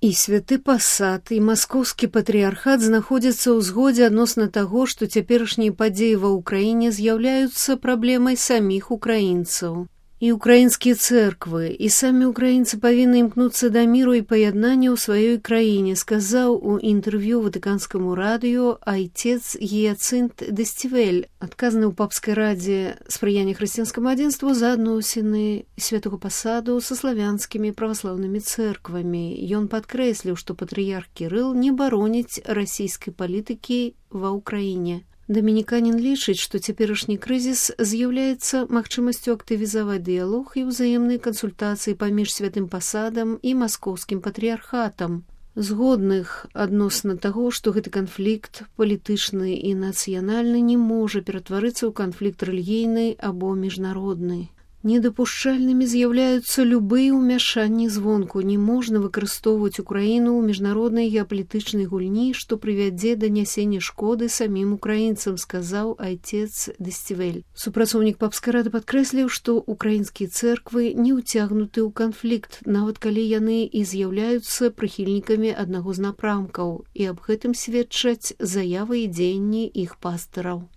І святы пасад, і маскоўскі патрыярхат знаходзяцца ў згодзе адносна таго, што цяперашнія падзеі ва ўкраіне з'яўляюцца праблемай саміх украінцаў. І украінскія цэрквы, і самі украінцы павінны імкнуцца да міру і паяднання ў сваёй краіне, сказаў у інтэрв'ю ватыканскаму радыё айцец Гіяцынт Дэсцівель, адказны ў папскай радзе спрыяння хрысціянскаму адзінству за адносіны святого пасаду са славянскімі праваслаўнымі цэрквамі. Ён падкрэсліў, што патрыярх Кірыл не бароніць расійскай палітыкі ва ўкраіне. Дамініканін лічыць, што цяперашні крызіс з'яўляецца магчымасцю актывізаваць дыялог і ўзаемныя кансультацыі паміж святым пасадам і маскоўскім патрыярхатам, згодных адносна таго, што гэты канфлікт палітычны і нацыянальны не можа ператварыцца ў канфлікт рэлігійны або міжнародны. Недапушчальнымі з'яўляюцца любыя ўмяшанні звонку. Не можна выкарыстоўваць Украіну ў міжнароднай геапалітычнай гульні, што прывядзе да нясення шкоды самім украінцам, сказаў айцец Дэсцівель. Супрацоўнік папскай рады падкрэсліў, што украінскія цэрквы не ўцягнуты ў канфлікт, нават калі яны і з'яўляюцца прыхільнікамі аднаго з напрамкаў, і аб гэтым сведчаць заявы і дзеянні іх пастыраў.